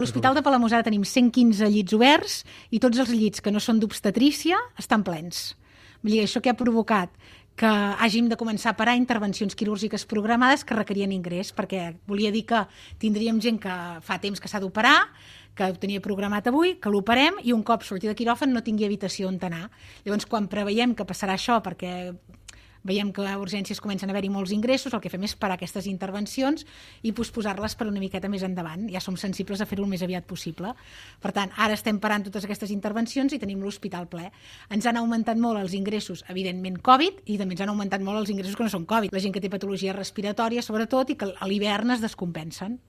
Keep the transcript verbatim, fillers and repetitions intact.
A l'Hospital de Palamós ara tenim cent quinze llits oberts i tots els llits que no són d'obstetrícia estan plens. Vull dir, això que ha provocat que hàgim de començar a parar intervencions quirúrgiques programades que requerien ingrés, perquè volia dir que tindríem gent que fa temps que s'ha d'operar, que ho tenia programat avui, que l'operem i un cop sortir de quiròfan no tingui habitació on anar. Llavors, quan preveiem que passarà això, perquè veiem que a urgències comencen a haver-hi molts ingressos, el que fem és parar aquestes intervencions i posposar-les per una miqueta més endavant. Ja som sensibles a fer-ho el més aviat possible. Per tant, ara estem parant totes aquestes intervencions i tenim l'hospital ple. Ens han augmentat molt els ingressos, evidentment Covid, i també ens han augmentat molt els ingressos que no són Covid. La gent que té patologia respiratòria, sobretot, i que a l'hivern es descompensen.